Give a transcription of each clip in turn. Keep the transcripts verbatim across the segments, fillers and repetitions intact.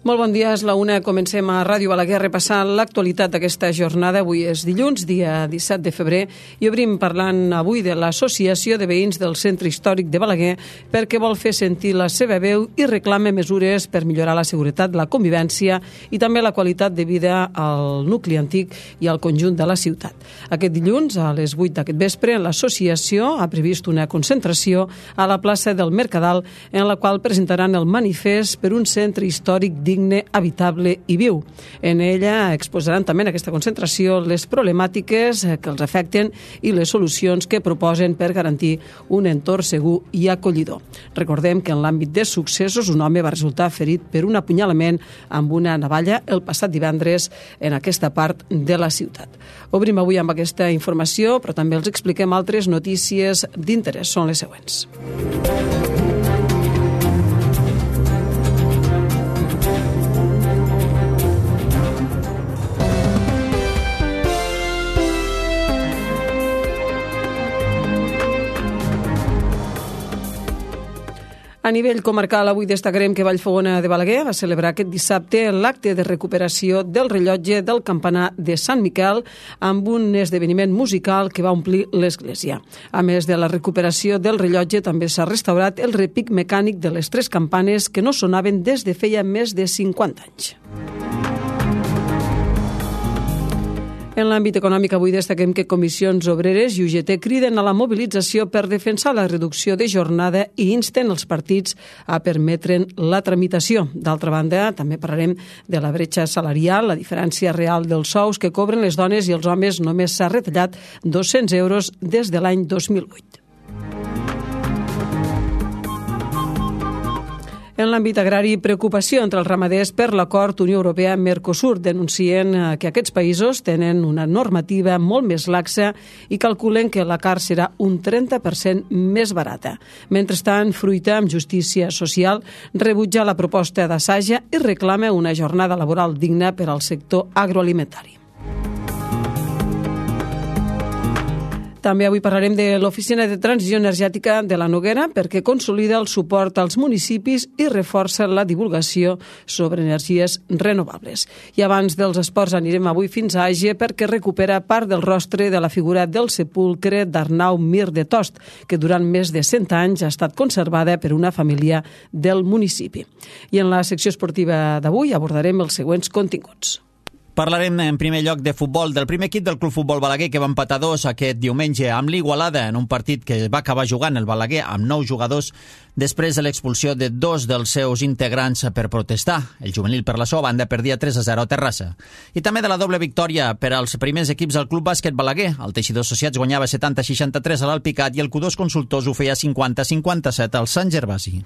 Molt bon dia, és la una. Comencem a Ràdio Balaguer repassant l'actualitat d'aquesta jornada. Avui és dilluns, dia disset de febrer, i obrim parlant avui de l'Associació de Veïns del Centre Històric de Balaguer perquè vol fer sentir la seva veu i reclama mesures per millorar la seguretat, la convivència i també la qualitat de vida al nucli antic i al conjunt de la ciutat. Aquest dilluns, a les vuit d'aquest vespre, l'associació ha previst una concentració a la plaça del Mercadal en la qual presentaran el manifest per un centre històric digne, habitable i viu. En ella exposaran també en aquesta concentració les problemàtiques que els afecten i les solucions que proposen per garantir un entorn segur i acollidor. Recordem que en l'àmbit de successos un home va resultar ferit per un apunyalament amb una navalla el passat divendres en aquesta part de la ciutat. Obrim avui amb aquesta informació, però també els expliquem altres notícies d'interès. Són les següents. A nivell comarcal, avui destacarem que Vallfogona de Balaguer va celebrar aquest dissabte l'acte de recuperació del rellotge del campanar de Sant Miquel amb un esdeveniment musical que va omplir l'església. A més de la recuperació del rellotge, també s'ha restaurat el repic mecànic de les tres campanes que no sonaven des de feia més de cinquanta anys. En l'àmbit econòmic, avui destaquem que Comissions Obreres i U G T criden a la mobilització per defensar la reducció de jornada i insten els partits a permetre'n la tramitació. D'altra banda, també parlarem de la bretxa salarial, la diferència real dels sous que cobren les dones i els homes només s'ha retallat dos-cents euros des de l'any dos mil vuit. En l'àmbit agrari, preocupació entre els ramaders per l'acord Unió Europea-Mercosur. Denuncien que aquests països tenen una normativa molt més laxa i calculen que la carn serà un trenta per cent més barata. Mentrestant, Fruita, amb justícia social, rebutja la proposta d'Assaja i reclama una jornada laboral digna per al sector agroalimentari. També avui parlarem de l'Oficina de Transició Energètica de la Noguera perquè consolida el suport als municipis i reforça la divulgació sobre energies renovables. I abans dels esports anirem avui fins a Àger perquè recupera part del rostre de la figura del sepulcre d'Arnau Mir de Tost, que durant més de cent anys ha estat conservada per una família del municipi. I en la secció esportiva d'avui abordarem els següents continguts. Parlarem en primer lloc de futbol, del primer equip del Club Futbol Balaguer que va empatar dos aquest diumenge amb l'Igualada en un partit que va acabar jugant el Balaguer amb nou jugadors després de l'expulsió de dos dels seus integrants per protestar. El juvenil per la seva banda perdia tres a zero a Terrassa. I també de la doble victòria per als primers equips del Club Bàsquet Balaguer. El Teixidor Associats guanyava setanta a seixanta-tres a l'Alpicat i el Q dos Consultors ho feia cinquanta a cinquanta-set al Sant Gervasi.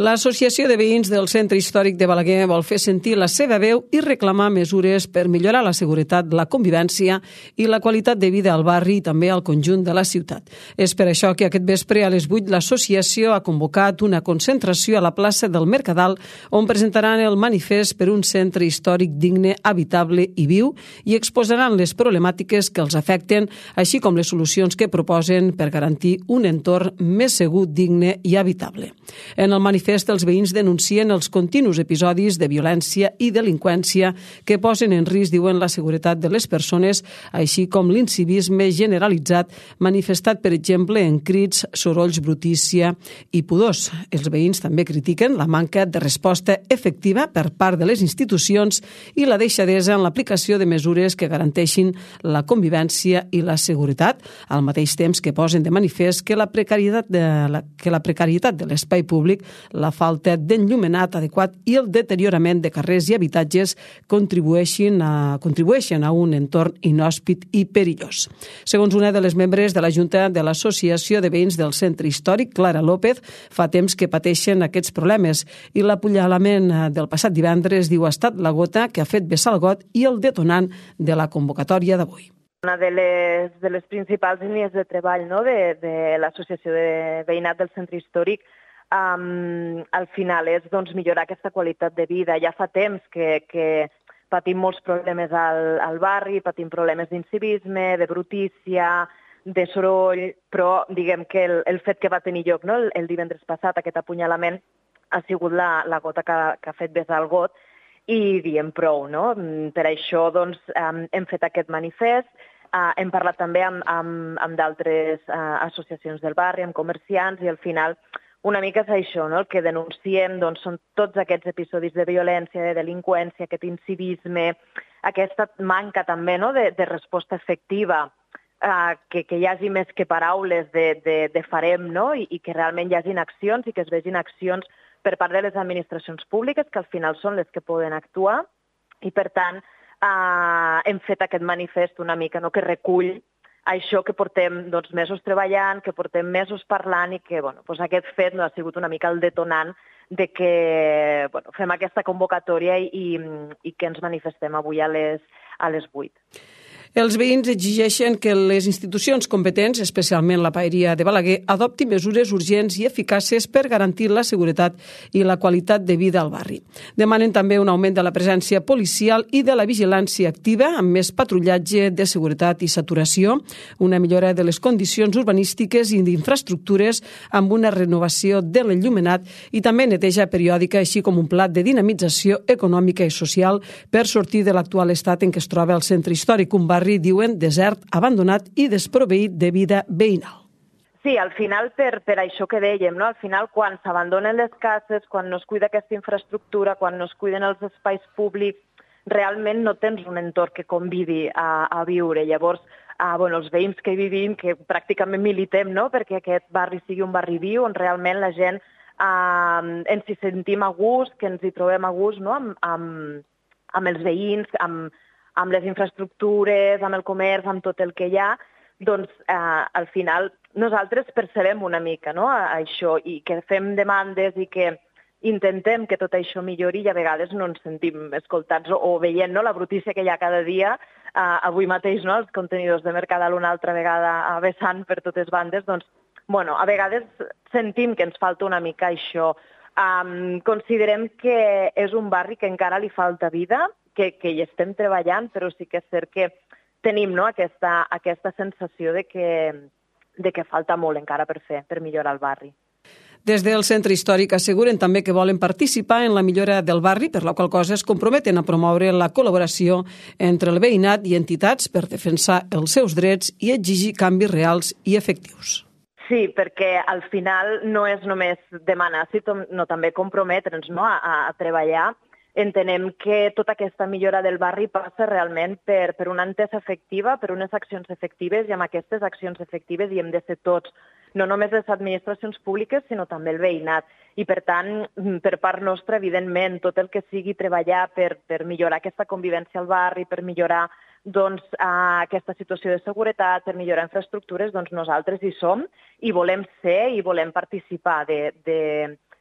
L'Associació de Veïns del Centre Històric de Balaguer vol fer sentir la seva veu i reclamar mesures per millorar la seguretat, la convivència i la qualitat de vida al barri i també al conjunt de la ciutat. És per això que aquest vespre a les vuit l'associació ha convocat una concentració a la plaça del Mercadal on presentaran el manifest per un centre històric digne, habitable i viu i exposaran les problemàtiques que els afecten, així com les solucions que proposen per garantir un entorn més segur, digne i habitable. En el manifest els veïns denuncien els continus episodis de violència i delinqüència que posen en risc, diuen, la seguretat de les persones, així com l'incivisme generalitzat manifestat, per exemple, en crits, sorolls, brutícia i pudors. Els veïns també critiquen la manca de resposta efectiva per part de les institucions i la deixadesa en l'aplicació de mesures que garanteixin la convivència i la seguretat, al mateix temps que posen de manifest que la precarietat de la, que la precarietat de l'espai públic, la falta d'enllumenat adequat i el deteriorament de carrers i habitatges contribueixen a, contribueixen a un entorn inhòspit i perillós. Segons una de les membres de la Junta de l'Associació de Veïns del Centre Històric, Clara López, fa temps que pateixen aquests problemes i l'apunyalament del passat divendres, diu, ha estat la gota que ha fet vessar el got i el detonant de la convocatòria d'avui. Una de les, de les principals línies de treball, no?, de, de l'Associació de Veïnat del Centre Històric um, al final és doncs, millorar aquesta qualitat de vida. Ja fa temps que, que patim molts problemes al, al barri, patim problemes d'incivisme, de brutícia, de soroll, però diguem que el, el fet que va tenir lloc, no, el, el divendres passat, aquest apunyalament, ha sigut la, la gota que, que ha fet vessar el got i diem prou, no? Per això doncs, um, hem fet aquest manifest, uh, hem parlat també amb, amb, amb d'altres uh, associacions del barri, amb comerciants, i al final una mica és això, no? El que denunciem doncs, són tots aquests episodis de violència, de delinqüència, aquest incivisme, aquesta manca també, no? de, de resposta efectiva, uh, que, que hi hagi més que paraules de, de, de farem, no? I, i que realment hi hagin accions i que es vegin accions per part de les administracions públiques, que al final són les que poden actuar, i per tant eh, hem fet aquest manifest una mica, no?, que recull això que portem doncs, mesos treballant, que portem mesos parlant i que bueno, doncs aquest fet no ha sigut una mica el detonant de que bueno, fem aquesta convocatòria i, i, i que ens manifestem avui a les, a les vuit. Els veïns exigeixen que les institucions competents, especialment la Paeria de Balaguer, adoptin mesures urgents i eficaces per garantir la seguretat i la qualitat de vida al barri. Demanen també un augment de la presència policial i de la vigilància activa, amb més patrullatge de seguretat i saturació, una millora de les condicions urbanístiques i d'infraestructures amb una renovació de l'enllumenat i també neteja periòdica, així com un pla de dinamització econòmica i social per sortir de l'actual estat en què es troba el centre històric, un barri diuen desert, abandonat i desproveït de vida veïnal. Sí, al final, per, per això que dèiem, no? Al final, quan s'abandonen les cases, quan no es cuida aquesta infraestructura, quan no es cuiden els espais públics, realment no tens un entorn que convidi a, a viure. Llavors, ah, bueno, els veïns que hi vivim, que pràcticament militem, no?, perquè aquest barri sigui un barri viu, on realment la gent ah, ens hi sentim a gust, que ens hi trobem a gust, no?, amb, amb, amb els veïns, amb amb les infraestructures, amb el comerç, amb tot el que hi ha, doncs eh, al final nosaltres percebem una mica, no?, a, a això, i que fem demandes i que intentem que tot això millori i a vegades no ens sentim escoltats o, o veient, no?, la brutícia que hi ha cada dia. Eh, avui mateix, no?, els contenidors de Mercadal una altra vegada vessant per totes bandes, doncs, bueno, a vegades sentim que ens falta una mica això. Um, considerem que és un barri que encara li falta vida, que, que hi estem treballant, però sí que és cert que tenim, no?, aquesta, aquesta sensació de que, de que falta molt encara per fer, per millorar el barri. Des del centre històric asseguren també que volen participar en la millora del barri, per la qual cosa es comprometen a promoure la col·laboració entre el veïnat i entitats per defensar els seus drets i exigir canvis reals i efectius. Sí, perquè al final no és només demanar, sinó també comprometre'ns, no?, a, a treballar. Entenem que tota aquesta millora del barri passa realment per, per una entesa efectiva, per unes accions efectives, i amb aquestes accions efectives hi hem de ser tots, no només les administracions públiques, sinó també el veïnat. I per tant, per part nostra, evidentment, tot el que sigui treballar per, per millorar aquesta convivència al barri, per millorar doncs, aquesta situació de seguretat, per millorar infraestructures, doncs nosaltres hi som i volem ser i volem participar de, de,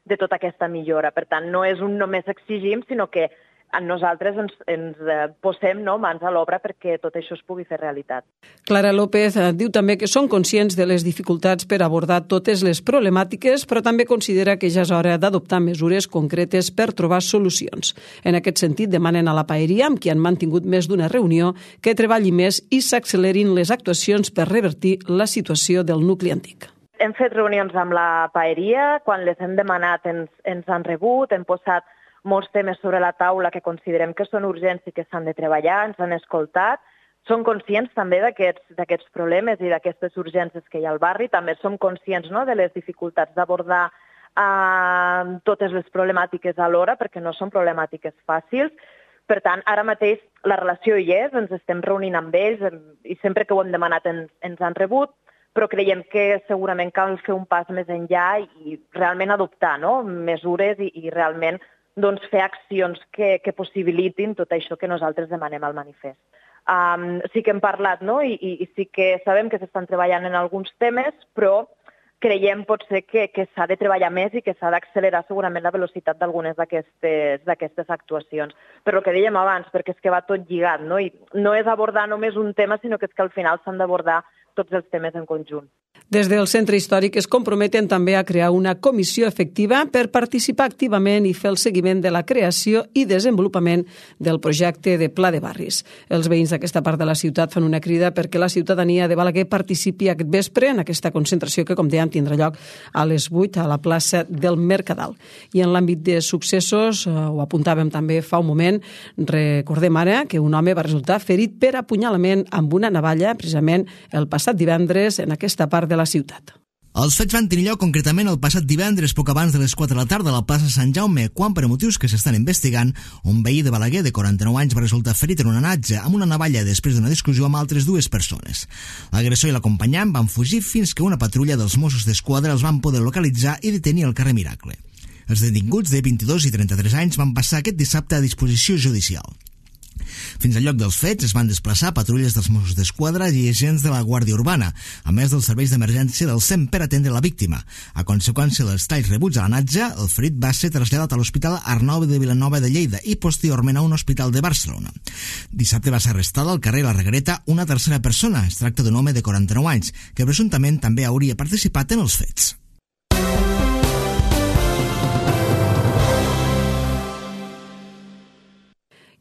de tota aquesta millora. Per tant, no és un només exigim, sinó que nosaltres ens, ens posem, no?, mans a l'obra perquè tot això es pugui fer realitat. Clara López diu també que són conscients de les dificultats per abordar totes les problemàtiques, però també considera que ja és hora d'adoptar mesures concretes per trobar solucions. En aquest sentit, demanen a la Paeria, amb qui han mantingut més d'una reunió, que treballi més i s'accelerin les actuacions per revertir la situació del nucli antic. Hem fet reunions amb la Paeria, quan les hem demanat ens, ens han rebut, hem posat molts temes sobre la taula que considerem que són urgents i que s'han de treballar, ens han escoltat. Som conscients també d'aquests problemes i d'aquestes urgències que hi ha al barri. També som conscients, no?, de les dificultats d'abordar eh, totes les problemàtiques alhora, perquè no són problemàtiques fàcils. Per tant, ara mateix la relació hi és, ens estem reunint amb ells i sempre que ho hem demanat ens, ens han rebut, però creiem que segurament cal fer un pas més enllà i realment adoptar, no?, mesures i, i realment doncs, fer accions que, que possibilitin tot això que nosaltres demanem al manifest. Um, sí que hem parlat, no?, I, i, i sí que sabem que s'estan treballant en alguns temes, però creiem potser que, que s'ha de treballar més i que s'ha d'accelerar segurament la velocitat d'algunes d'aquestes actuacions. Per el que dèiem abans, perquè és que va tot lligat, no?, I no és abordar només un tema, sinó que és que al final s'han d'abordar tots els temes en conjunt. Des del Centre Històric es comprometen també a crear una comissió efectiva per participar activament i fer el seguiment de la creació i desenvolupament del projecte de Pla de Barris. Els veïns d'aquesta part de la ciutat fan una crida perquè la ciutadania de Balaguer participi aquest vespre en aquesta concentració que, com dèiem, tindrà lloc a les vuit a la plaça del Mercadal. I en l'àmbit de successos, ho apuntàvem també fa un moment, recordem ara que un home va resultar ferit per apunyalament amb una navalla, precisament el passat divendres en aquesta part de la ciutat. Els fets van tenir lloc concretament el passat divendres, poc abans de les quatre de la tarda, a la plaça Sant Jaume, quan, per motius que s'estan investigant, un veí de Balaguer de quaranta-nou anys va resultar ferit en una natja amb una navalla després d'una discussió amb altres dues persones. L'agressor i l'acompanyant van fugir fins que una patrulla dels Mossos d'Esquadra els van poder localitzar i detenir al carrer Miracle. Els detinguts de vint-i-dos i trenta-tres anys van passar aquest dissabte a disposició judicial. Fins al lloc dels fets es van desplaçar patrulles dels Mossos d'Esquadra i agents de la Guàrdia Urbana, a més dels serveis d'emergència del C E M per atendre la víctima. A conseqüència dels talls rebuts a la natja, el ferit va ser traslladat a l'Hospital Arnau de Vilanova de Lleida i posteriorment a un hospital de Barcelona. Dissabte va ser arrestada al carrer La Reguereta una tercera persona. Es tracta d'un home de quaranta-nou anys, que presumptament també hauria participat en els fets.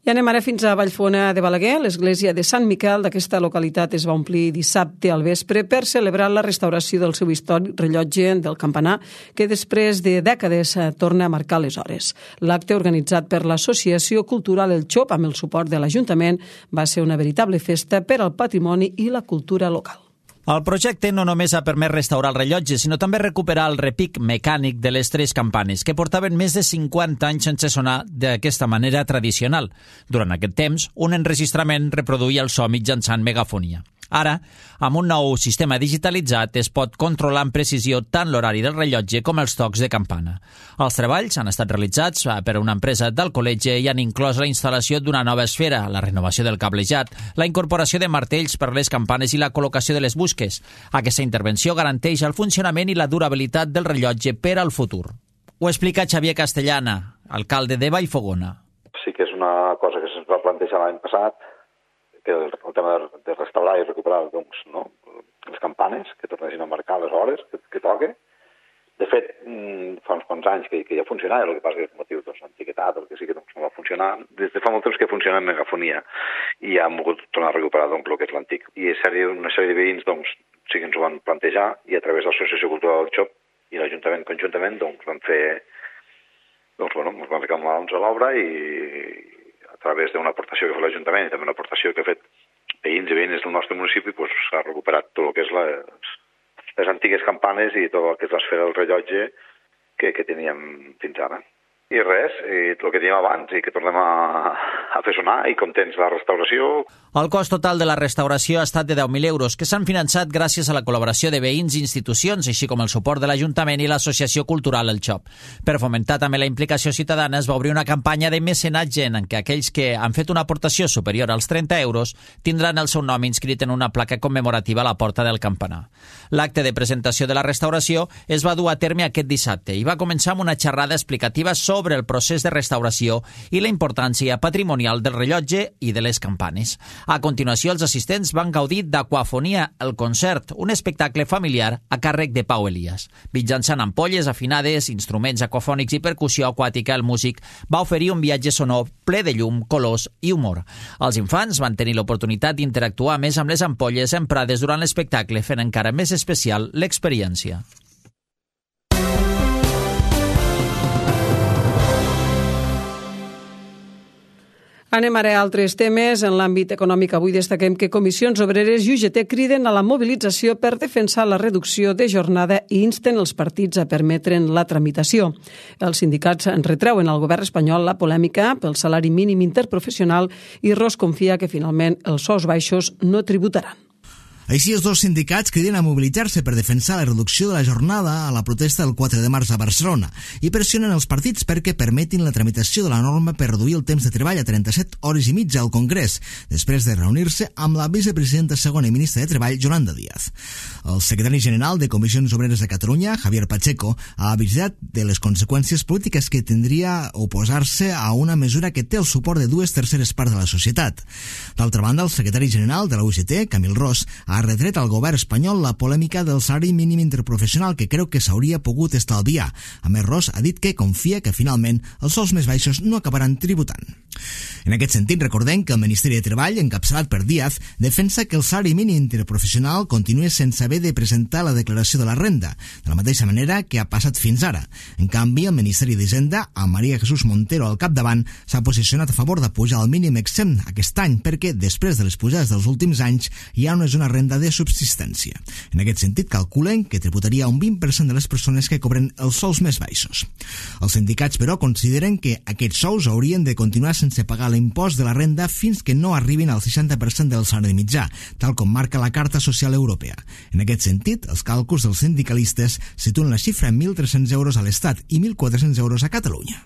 I anem ara fins a Vallfona de Balaguer. L'església de Sant Miquel d'aquesta localitat es va omplir dissabte al vespre per celebrar la restauració del seu històric rellotge del campanar, que després de dècades torna a marcar les hores. L'acte, organitzat per l'Associació Cultural El Xop amb el suport de l'Ajuntament, va ser una veritable festa per al patrimoni i la cultura local. El projecte no només ha permès restaurar el rellotge, sinó també recuperar el repic mecànic de les tres campanes, que portaven més de cinquanta anys sense sonar d'aquesta manera tradicional. Durant aquest temps, un enregistrament reproduïa el so mitjançant megafonia. Ara, amb un nou sistema digitalitzat, es pot controlar amb precisió tant l'horari del rellotge com els tocs de campana. Els treballs han estat realitzats per una empresa d'Alcoletge i han inclòs la instal·lació d'una nova esfera, la renovació del cablejat, la incorporació de martells per les campanes i la col·locació de les busques. Aquesta intervenció garanteix el funcionament i la durabilitat del rellotge per al futur. Ho explica Xavier Castellana, alcalde de Vallfogona. Sí que és una cosa que se'ns va plantejar l'any passat, que el, el tema de, de restaurar i recuperar doncs, no? les campanes, que tornessin a marcar les hores que, que toque. De fet, fa uns quants anys que, que ja funcionava, el que passa que és motiu doncs, l'antiguitat, el que sí que doncs, no va funcionar. Des de fa molt temps que funciona en megafonia i ja hem volgut tornar a recuperar doncs, el que és l'antic. I sèrie, una sèrie de veïns doncs, sí que ens ho van plantejar i a través de l'Associació Cultural del Xop i l'Ajuntament conjuntament doncs, van fer, doncs, bueno, ens van reclamar doncs, a l'obra i a través d'una aportació que fa l'Ajuntament i també una aportació que ha fet veïns i veïnes del nostre municipi, doncs, s'ha recuperat tot el que és les, les antigues campanes i tot el que és l'esfera del rellotge que, que teníem fins ara. I res, i el que teníem abans, i que tornem a, a fer sonar, i contents de la restauració. El cost total de la restauració ha estat de deu mil euros, que s'han finançat gràcies a la col·laboració de veïns i institucions, així com el suport de l'Ajuntament i l'Associació Cultural El Xop. Per fomentar també la implicació ciutadana, es va obrir una campanya de mecenatge en què aquells que han fet una aportació superior als trenta euros tindran el seu nom inscrit en una placa commemorativa a la porta del campanar. L'acte de presentació de la restauració es va dur a terme aquest dissabte i va començar amb una xerrada explicativa sobre sobre el procés de restauració i la importància patrimonial del rellotge i de les campanes. A continuació, els assistents van gaudir d'Aquafonia, el concert, un espectacle familiar a càrrec de Pau Elias. Mitjançant ampolles afinades, instruments aquafònics i percussió aquàtica, el músic va oferir un viatge sonor ple de llum, colors i humor. Els infants van tenir l'oportunitat d'interactuar més amb les ampolles emprades durant l'espectacle, fent encara més especial l'experiència. Anem ara a altres temes. En l'àmbit econòmic avui destaquem que Comissions Obreres i U G T criden a la mobilització per defensar la reducció de jornada i insten els partits a permetre'n la tramitació. Els sindicats en retreuen al govern espanyol la polèmica pel salari mínim interprofessional i Ros confia que finalment els sous baixos no tributaran. Així, els dos sindicats criden a mobilitzar-se per defensar la reducció de la jornada a la protesta del quatre de març a Barcelona i pressionen els partits perquè permetin la tramitació de la norma per reduir el temps de treball a trenta-set hores i mitja al Congrés, després de reunir-se amb la vicepresidenta segona i ministra de Treball, Yolanda Díaz. El secretari general de Comissions Obreres de Catalunya, Javier Pacheco, ha avisat de les conseqüències polítiques que tindria oposar-se a una mesura que té el suport de dues terceres parts de la societat. D'altra banda, el secretari general de la U G T, Camil Ros, ha ha retret al govern espanyol la polèmica del salari mínim interprofessional que creu que s'hauria pogut estalviar. A més, Ros ha dit que confia que finalment els sous més baixos no acabaran tributant. En aquest sentit, recordem que el Ministeri de Treball, encapçalat per Díaz, defensa que el salari mínim interprofessional continuï sense haver de presentar la declaració de la renda, de la mateixa manera que ha passat fins ara. En canvi, el Ministeri d'Hisenda, amb María Jesús Montero al capdavant, s'ha posicionat a favor de pujar el mínim exempt aquest any perquè, després de les pujades dels últims anys, ja no és una renda de subsistència. En aquest sentit, calculen que tributaria un vint per cent de les persones que cobren els sous més baixos. Els sindicats, però, consideren que aquests sous haurien de continuar sense pagar l'impost de la renda fins que no arribin al seixanta per cent del salari mitjà, tal com marca la Carta Social Europea. En aquest sentit, els càlculs dels sindicalistes situen la xifra en mil tres-cents euros a l'Estat i mil quatre-cents euros a Catalunya.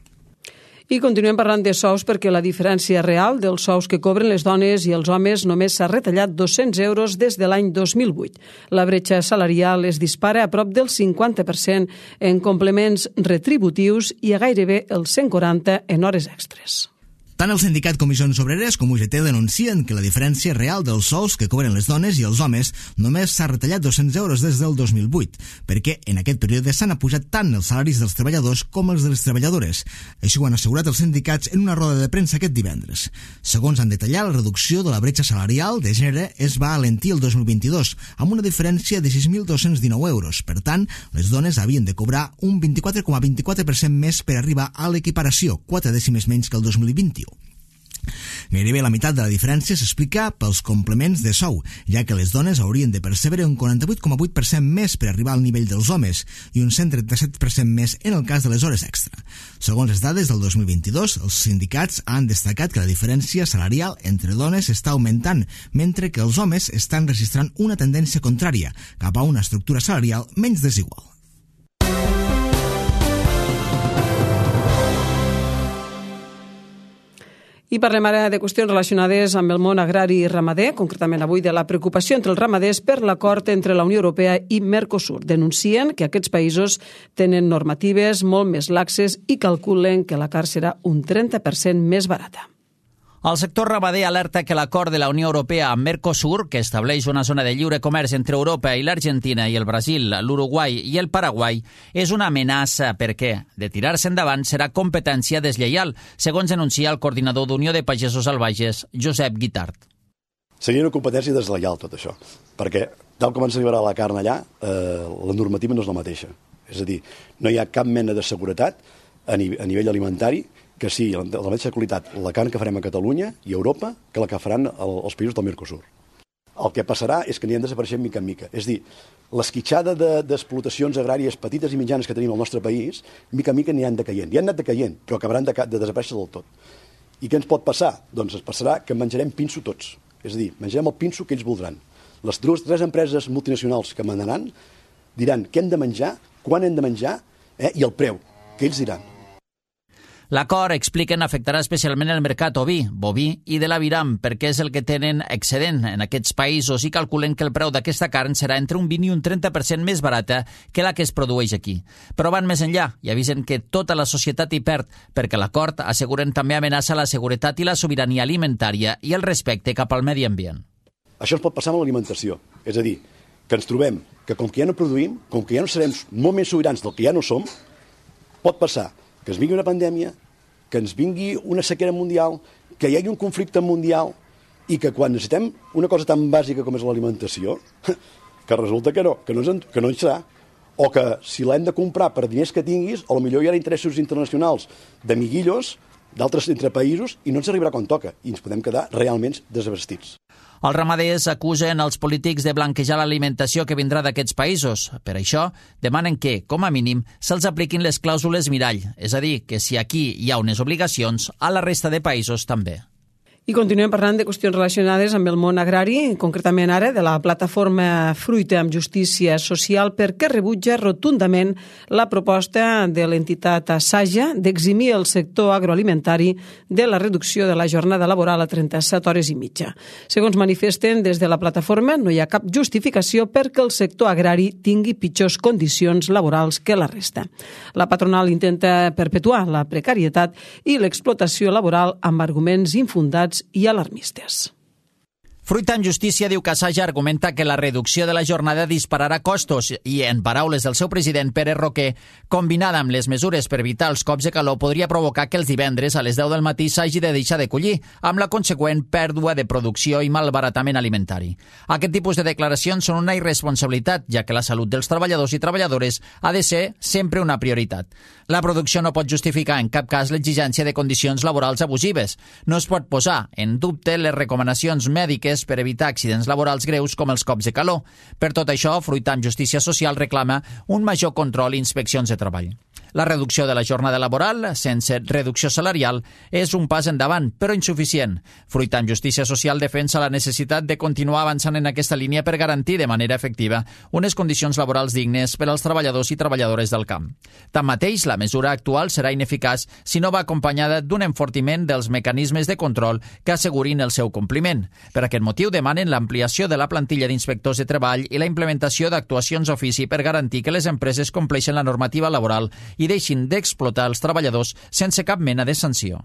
I continuem parlant de sous perquè la diferència real dels sous que cobren les dones i els homes només s'ha retallat dos-cents euros des de l'any dos mil vuit. La bretxa salarial es dispara a prop del cinquanta per cent en complements retributius i a gairebé el cent quaranta en hores extres. Tant el sindicat Comissions Obreres com U G T denuncien que la diferència real dels sous que cobren les dones i els homes només s'ha retallat dos-cents euros des del dos mil vuit, perquè en aquest període s'han apujat tant els salaris dels treballadors com els de les treballadores. Així ho han assegurat els sindicats en una roda de premsa aquest divendres. Segons han detallat, la reducció de la bretxa salarial de gènere es va alentir el dos mil vint-i-dos, amb una diferència de sis mil dos-cents dinou euros. Per tant, les dones havien de cobrar un vint-i-quatre coma vint-i-quatre per cent més per arribar a l'equiparació, quatre dècimes menys que el dos mil vint-i-u. Gairebé la meitat de la diferència s'explica pels complements de sou, ja que les dones haurien de percebre un quaranta-vuit coma vuit per cent més per arribar al nivell dels homes i un cent trenta-set per cent més en el cas de les hores extra. Segons les dades del dos mil vint-i-dos, els sindicats han destacat que la diferència salarial entre dones està augmentant, mentre que els homes estan registrant una tendència contrària cap a una estructura salarial menys desigual. I parlem ara de qüestions relacionades amb el món agrari i ramader, concretament avui de la preocupació entre els ramaders per l'acord entre la Unió Europea i Mercosur. Denuncien que aquests països tenen normatives molt més laxes i calculen que la carn serà un trenta per cent més barata. El sector ramader alerta que l'acord de la Unió Europea amb Mercosur, que estableix una zona de lliure comerç entre Europa i l'Argentina i el Brasil, l'Uruguai i el Paraguai, és una amenaça perquè, de tirar-se endavant, serà competència deslleial, segons denuncia el coordinador d'Unió de Pagesos Salvatges, Josep Guitart. Seria una competència deslleial tot això, perquè tal com ens arribarà la carn allà, eh, la normativa no és la mateixa. És a dir, no hi ha cap mena de seguretat a, ni a nivell alimentari que sigui de la mateixa qualitat la carn que farem a Catalunya i a Europa que la que faran els països del Mercosur. El que passarà és que anirem desapareixent mica en mica. És a dir, l'esquitxada d'explotacions agràries petites i mitjanes que tenim al nostre país, mica en mica aniran decaient. Ja han anat decaient, però acabaran de, de desaparèixer del tot. I què ens pot passar? Doncs ens passarà que menjarem pinso tots. És a dir, menjarem el pinso que ells voldran. Les tres, tres empreses multinacionals que manaran diran què hem de menjar, quan hem de menjar eh, i el preu, que ells diran. L'acord, expliquen, afectarà especialment el mercat oví, boví i de l'aviram, perquè és el que tenen excedent en aquests països i calculen que el preu d'aquesta carn serà entre un vint i un trenta per cent més barata que la que es produeix aquí. Però van més enllà i avisen que tota la societat hi perd, perquè l'acord, asseguren, també amenaça la seguretat i la sobirania alimentària i el respecte cap al medi ambient. Això ens pot passar amb l'alimentació, és a dir, que ens trobem que com que ja no produïm, com que ja no serem molt més sobirans del que ja no som, pot passar que ens vingui una pandèmia, que ens vingui una sequera mundial, que hi hagi un conflicte mundial i que quan necessitem una cosa tan bàsica com és l'alimentació, que resulta que no, que no, ens, que no hi serà, o que si l'hem de comprar per diners que tinguis, o potser hi ha interessos internacionals d'amiguillos d'altres entre països i no ens arribarà quan toca i ens podem quedar realment desabastits. Els ramaders acusen els polítics de blanquejar l'alimentació que vindrà d'aquests països. Per això, demanen que, com a mínim, se'ls apliquin les clàusules mirall, és a dir, que si aquí hi ha unes obligacions, a la resta de països també. I continuem parlant de qüestions relacionades amb el món agrari, concretament ara de la plataforma Fruita amb Justícia Social, perquè rebutja rotundament la proposta de l'entitat Saja d'eximir el sector agroalimentari de la reducció de la jornada laboral a trenta-set hores i mitja. Segons manifesten des de la plataforma, no hi ha cap justificació perquè el sector agrari tingui pitjors condicions laborals que la resta. La patronal intenta perpetuar la precarietat i l'explotació laboral amb arguments infundats i alarmistes. Fruita en Justícia diu que Saja argumenta que la reducció de la jornada dispararà costos i, en paraules del seu president Pere Roquer, combinada amb les mesures per evitar els cops de calor, podria provocar que els divendres a les deu del matí s'hagi de deixar de collir, amb la conseqüent pèrdua de producció i malbaratament alimentari. Aquest tipus de declaracions són una irresponsabilitat, ja que la salut dels treballadors i treballadores ha de ser sempre una prioritat. La producció no pot justificar en cap cas l'exigència de condicions laborals abusives. No es pot posar en dubte les recomanacions mèdiques per evitar accidents laborals greus com els cops de calor. Per tot això, Fruita amb Justícia Social reclama un major control i inspeccions de treball. La reducció de la jornada laboral, sense reducció salarial, és un pas endavant, però insuficient. Fruita amb Justícia Social defensa la necessitat de continuar avançant en aquesta línia per garantir de manera efectiva unes condicions laborals dignes per als treballadors i treballadores del camp. Tanmateix, la mesura actual serà ineficaç si no va acompanyada d'un enfortiment dels mecanismes de control que assegurin el seu compliment. Per aquest motiu demanen l'ampliació de la plantilla d'inspectors de treball i la implementació d'actuacions d'ofici per garantir que les empreses compleixen la normativa laboral i deixin d'explotar els treballadors sense cap mena de sanció.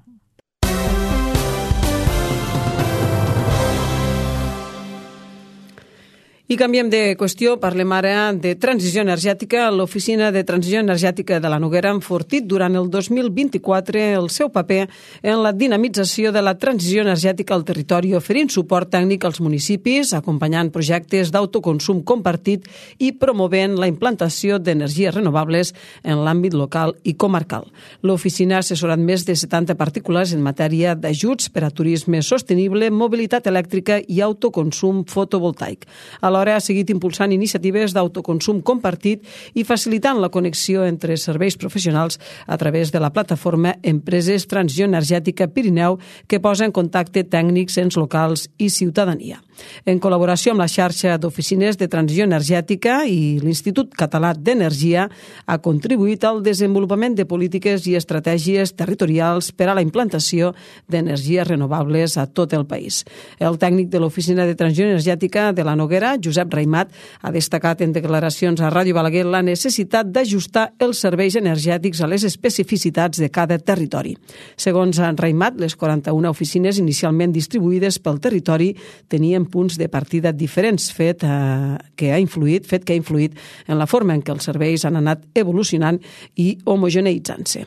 I canviem de qüestió, parlem ara de transició energètica. L'Oficina de Transició Energètica de la Noguera ha enfortit durant el dos mil vint-i-quatre el seu paper en la dinamització de la transició energètica al territori, oferint suport tècnic als municipis, acompanyant projectes d'autoconsum compartit i promovent la implantació d'energies renovables en l'àmbit local i comarcal. L'oficina ha assessorat més de setanta particulars en matèria d'ajuts per a turisme sostenible, mobilitat elèctrica i autoconsum fotovoltaic. Alhora ha seguit impulsant iniciatives d'autoconsum compartit i facilitant la connexió entre serveis professionals a través de la plataforma Empreses Transició Energètica Pirineu, que posa en contacte tècnics, ens locals i ciutadania. En col·laboració amb la xarxa d'oficines de transició energètica i l'Institut Català d'Energia, ha contribuït al desenvolupament de polítiques i estratègies territorials per a la implantació d'energies renovables a tot el país. El tècnic de l'Oficina de Transició Energètica de la Noguera, Josep Raimat, ha destacat en declaracions a Ràdio Balaguer la necessitat d'ajustar els serveis energètics a les especificitats de cada territori. Segons Raimat, les quaranta-una oficines inicialment distribuïdes pel territori tenien punts de partida diferents, fet, eh, que ha influït, fet que ha influït en la forma en què els serveis han anat evolucionant i homogeneïtzant-se.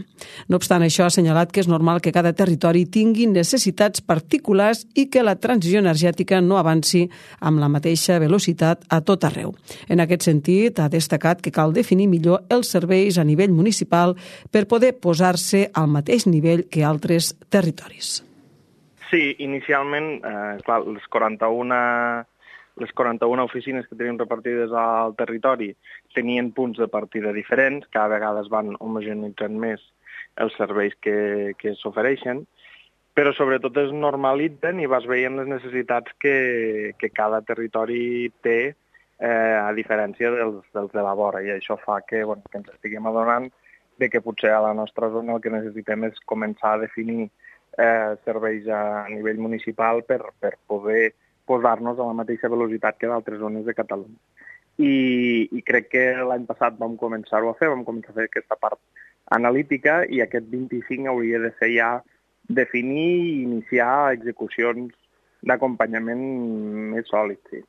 No obstant això, ha assenyalat que és normal que cada territori tingui necessitats particulars i que la transició energètica no avanci amb la mateixa velocitat a tot arreu. En aquest sentit, ha destacat que cal definir millor els serveis a nivell municipal per poder posar-se al mateix nivell que altres territoris. Sí, inicialment, eh, clar, les quaranta-una, les quaranta-una oficines que tenim repartides al territori tenien punts de partida diferents, cada vegada es van homogeneitzant més els serveis que, que s'ofereixen, però sobretot es normalitzen i vas veient les necessitats que, que cada territori té, eh, a diferència dels, dels de la vora, i això fa que, bueno, que ens estiguem adonant de que potser a la nostra zona el que necessitem és començar a definir eh, serveis a nivell municipal per, per poder posar-nos a la mateixa velocitat que d'altres zones de Catalunya. I, i crec que l'any passat vam començar-ho a fer, vam començar a fer aquesta part analítica i aquest vint-i-cinc hauria de ser ja definir i iniciar execucions d'acompanyament més sòlids, sí.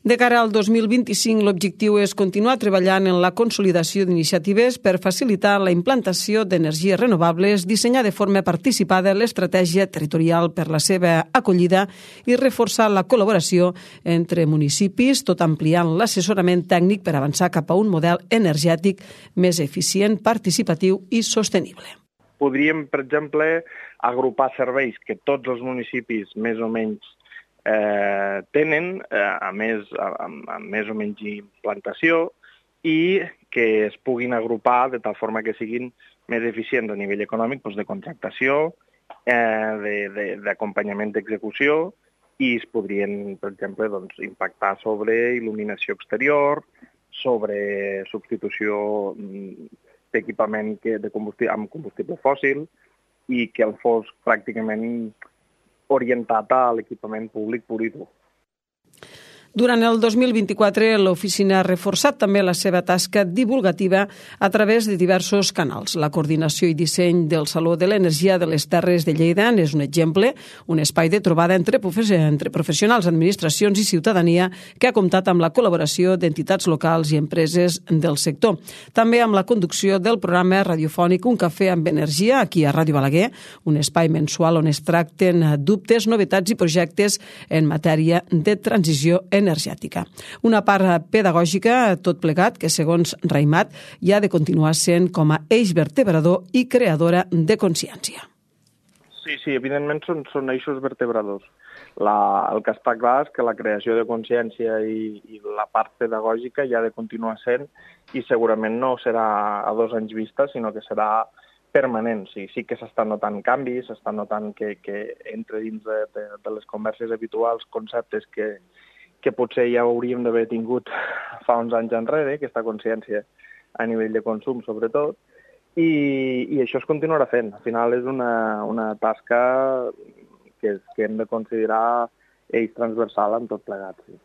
De cara al dos mil vint-i-cinc, l'objectiu és continuar treballant en la consolidació d'iniciatives per facilitar la implantació d'energies renovables, dissenyar de forma participada l'estratègia territorial per la seva acollida i reforçar la col·laboració entre municipis, tot ampliant l'assessorament tècnic per avançar cap a un model energètic més eficient, participatiu i sostenible. Podríem, per exemple, agrupar serveis que tots els municipis més o menys Eh, tenen, eh, a, més, a, a més o menys implantació i que es puguin agrupar de tal forma que siguin més eficients a nivell econòmic, doncs de contractació, eh, d'acompanyament d'execució i es podrien, per exemple, doncs, impactar sobre il·luminació exterior, sobre substitució d'equipament de combustible, amb combustible fòssil i que el fos pràcticament orientat a l'equipament públic pur i dur. Durant el dos mil vint-i-quatre, l'oficina ha reforçat també la seva tasca divulgativa a través de diversos canals. La coordinació i disseny del Saló de l'Energia de les Terres de Lleida és un exemple, un espai de trobada entre, entre professionals, administracions i ciutadania que ha comptat amb la col·laboració d'entitats locals i empreses del sector. També amb la conducció del programa radiofònic Un cafè amb energia, aquí a Ràdio Balaguer, un espai mensual on es tracten dubtes, novetats i projectes en matèria de transició energètica. energètica. Una part pedagògica, tot plegat, que segons Raimat hi ha de continuar sent com a eix vertebrador i creadora de consciència. Sí, sí, evidentment són, són eixos vertebradors. La, el que està clar és que la creació de consciència i, i la part pedagògica hi ha de continuar sent i segurament no serà a dos anys vista, sinó que serà permanent. Sí, sí que s'estan notant canvis, s'estan notant que, que entre dins de, de, de les converses habituals conceptes que que potser ja hauríem d'haver tingut fa uns anys enrere, aquesta consciència a nivell de consum, sobretot, i, i això es continuarà fent. Al final és una, una tasca que, que hem de considerar eix transversal en tot plegat. Sí.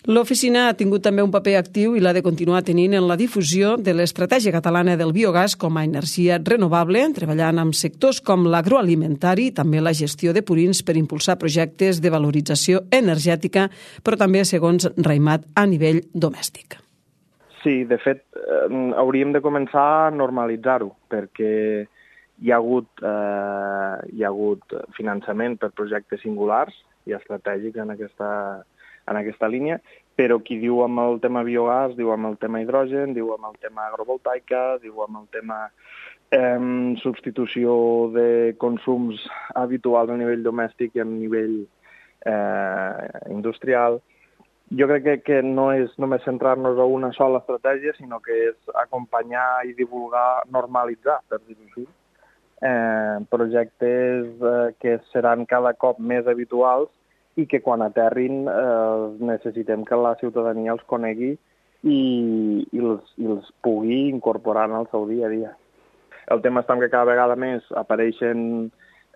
L'oficina ha tingut també un paper actiu i l'ha de continuar tenint en la difusió de l'estratègia catalana del biogàs com a energia renovable, treballant amb sectors com l'agroalimentari i també la gestió de purins per impulsar projectes de valorització energètica, però també, segons Raimat, a nivell domèstic. Sí, de fet, eh, hauríem de començar a normalitzar-ho, perquè hi ha hagut, eh, hi ha hagut finançament per projectes singulars i estratègics en aquesta en aquesta línia, però qui diu amb el tema biogàs, diu amb el tema hidrogen, diu amb el tema agrovoltaica, diu amb el tema eh, substitució de consums habituals a nivell domèstic i a nivell eh, industrial. Jo crec que, que no és només centrar-nos a una sola estratègia, sinó que és acompanyar i divulgar, normalitzar, per dir-ho així, eh, projectes eh, que seran cada cop més habituals i que quan aterrin eh, necessitem que la ciutadania els conegui i, i, els, i els pugui incorporar en el seu dia a dia. El tema està que cada vegada més apareixen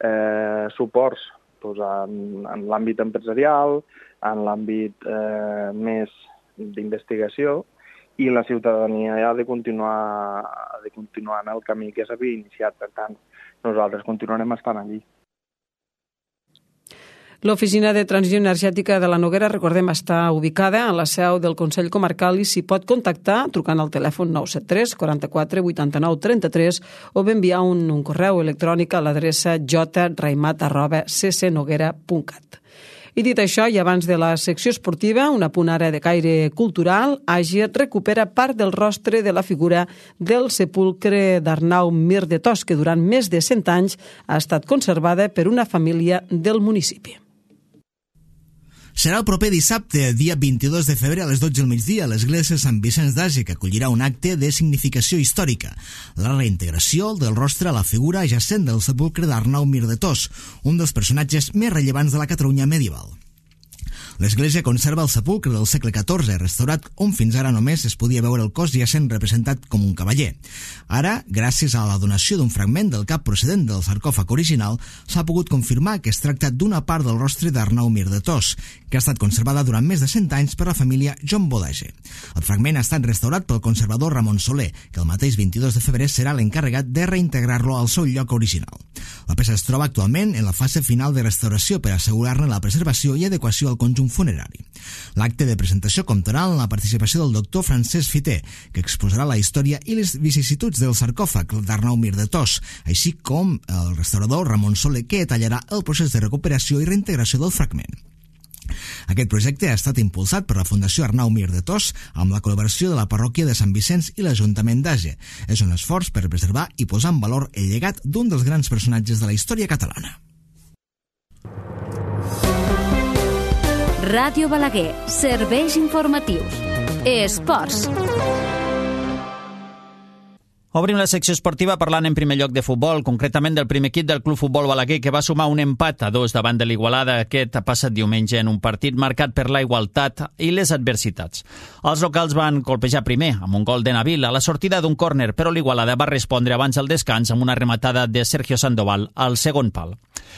eh, suports doncs, en, en l'àmbit empresarial, en l'àmbit eh, més d'investigació, i la ciutadania ha de continuar, ha de continuar en el camí que s'havia iniciat. Per tant, nosaltres continuarem estant allí. L'Oficina de Transició Energètica de la Noguera, recordem, està ubicada a la seu del Consell Comarcal i s'hi pot contactar trucant al telèfon nou set tres quaranta-quatre vuitanta-nou trenta-tres o bé enviar un, un correu electrònic a l'adreça j raimat arroba c c noguera punt cat. I dit això, i abans de la secció esportiva, una punt ara de caire cultural, Àger recupera part del rostre de la figura del sepulcre d'Arnau Mir de Tos, que durant més de cent anys ha estat conservada per una família del municipi. Serà el proper dissabte, dia vint-i-dos de febrer a les dotze del migdia, a l'església Sant Vicenç d'Àger, que acollirà un acte de significació històrica, la reintegració del rostre a la figura jacent del sepulcre d'Arnau Mir de Tos, un dels personatges més rellevants de la Catalunya medieval. L'església conserva el sepulcre del segle catorze, restaurat, on fins ara només es podia veure el cos jacent representat com un cavaller. Ara, gràcies a la donació d'un fragment del cap procedent del sarcòfag original, s'ha pogut confirmar que es tracta d'una part del rostre d'Arnau Mir de Tos, que ha estat conservada durant més de cent anys per la família John Bodege. El fragment ha estat restaurat pel conservador Ramon Soler, que el mateix vint-i-dos de febrer serà l'encarregat de reintegrar-lo al seu lloc original. La peça es troba actualment en la fase final de restauració per assegurar-ne la preservació i adequació al conjunt funerari. L'acte de presentació comptarà amb la participació del doctor Francesc Fiter, que exposarà la història i les vicissituds del sarcòfag d'Arnau Mir de Tos, així com el restaurador Ramon Soler, que detallarà el procés de recuperació i reintegració del fragment. Aquest projecte ha estat impulsat per la Fundació Arnau Mir de Tos amb la col·laboració de la parròquia de Sant Vicenç i l'Ajuntament d'Àger. És un esforç per preservar i posar en valor el llegat d'un dels grans personatges de la història catalana. Ràdio Balaguer, serveis informatius. Esports. Obrim la secció esportiva parlant en primer lloc de futbol, concretament del primer equip del Club Futbol Balaguer, que va sumar un empat a dos davant de l'Igualada aquest passat diumenge en un partit marcat per la igualtat i les adversitats. Els locals van colpejar primer amb un gol de Nabil a la sortida d'un córner, però l'Igualada va respondre abans del descans amb una rematada de Sergio Sandoval al segon pal.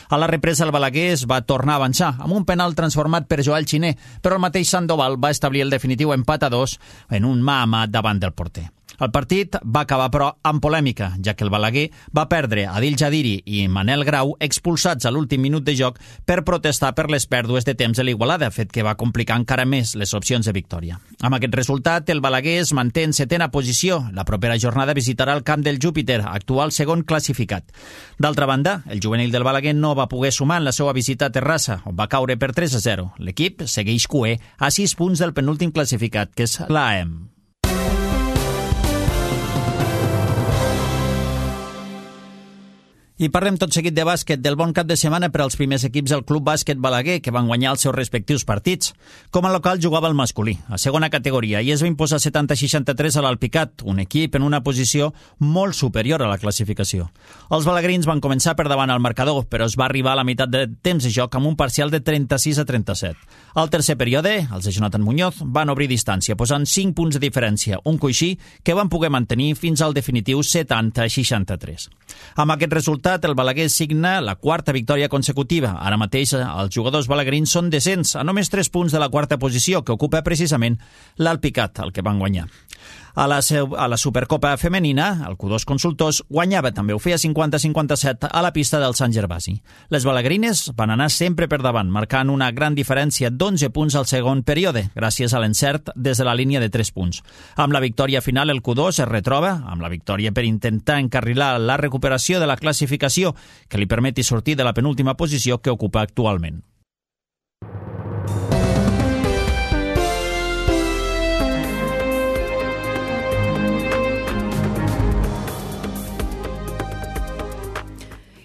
A la represa el Balaguer es va tornar a avançar amb un penal transformat per Joel Xiner, però el mateix Sandoval va establir el definitiu empat a dos en un mà a mà davant del porter. El partit va acabar, però, amb polèmica, ja que el Balaguer va perdre Adil Jadiri i Manel Grau expulsats a l'últim minut de joc per protestar per les pèrdues de temps de l'Igualada, fet que va complicar encara més les opcions de victòria. Amb aquest resultat, el Balaguer es manté en setena posició. La propera jornada visitarà el camp del Júpiter, actual segon classificat. D'altra banda, el juvenil del Balaguer no va poder sumar en la seva visita a Terrassa, on va caure per tres a zero. L'equip segueix cuer a sis punts del penúltim classificat, que és l'A E M. I parlem tot seguit de bàsquet, del bon cap de setmana per als primers equips del Club Bàsquet Balaguer, que van guanyar els seus respectius partits. Com a local jugava el masculí, a segona categoria, i es va imposar setanta a seixanta-tres a l'Alpicat, un equip en una posició molt superior a la classificació. Els balaguerins van començar per davant al marcador, però es va arribar a la meitat de temps de joc amb un parcial de trenta-sis a trenta-set. Al tercer període, els de Jonathan Muñoz van obrir distància, posant cinc punts de diferència, un coixí que van poder mantenir fins al definitiu setanta a seixanta-tres. Amb aquest resultat, el Balaguer signa la quarta victòria consecutiva. Ara mateix els jugadors balaguerins són descents, a només tres punts de la quarta posició, que ocupa precisament l'Alpicat, el que van guanyar. A la, a la Supercopa femenina, el Q dos Consultors guanyava també, ho feia cinquanta a cinquanta-set a la pista del Sant Gervasi. Les balaguerines van anar sempre per davant, marcant una gran diferència d'onze punts al segon període, gràcies a l'encert des de la línia de tres punts. Amb la victòria final, el Q dos es retroba amb la victòria per intentar encarrilar la recuperació de la classificació que li permeti sortir de la penúltima posició que ocupa actualment.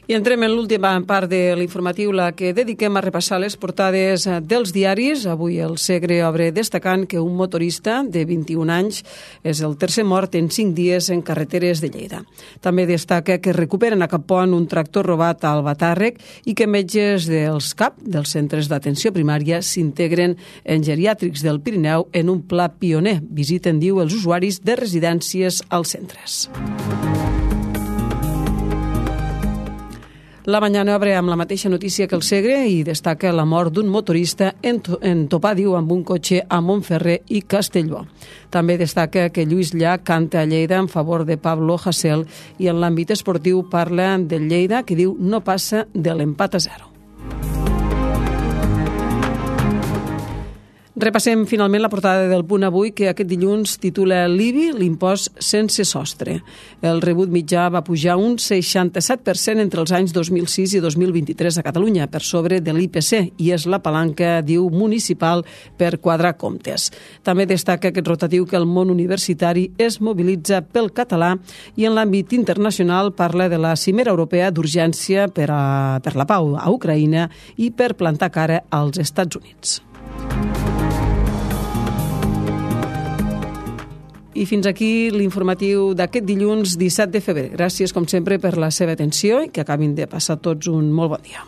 I entrem en l'última part de l'informatiu, la que dediquem a repassar les portades dels diaris. Avui el Segre obre destacant que un motorista de vint-i-un anys és el tercer mort en cinc dies en carreteres de Lleida. També destaca que recuperen a Capont un tractor robat al Batàrrec i que metges dels C A P, dels centres d'atenció primària, s'integren en geriàtrics del Pirineu en un pla pioner. Visiten, diu, els usuaris de residències als centres. La Mañana obre amb la mateixa notícia que el Segre i destaca la mort d'un motorista en, to en topar, diu, amb un cotxe a Montferrer i Castellbò. També destaca que Lluís Llach canta a Lleida en favor de Pablo Hasél i en l'àmbit esportiu parla del Lleida, que diu no passa de l'empat a zero. Repassem finalment la portada del Punt Avui, que aquest dilluns titula l'I B I, l'impost sense sostre. El rebut mitjà va pujar un seixanta-set per cent entre els anys dos mil sis i dos mil vint-i-tres a Catalunya, per sobre de l'I P C, i és la palanca, diu, municipal per quadrar comptes. També destaca aquest rotatiu que el món universitari es mobilitza pel català i en l'àmbit internacional parla de la cimera europea d'urgència per, a, per la pau a Ucraïna i per plantar cara als Estats Units. I fins aquí l'informatiu d'aquest dilluns disset de febrer. Gràcies, com sempre, per la seva atenció i que acabin de passar tots un molt bon dia.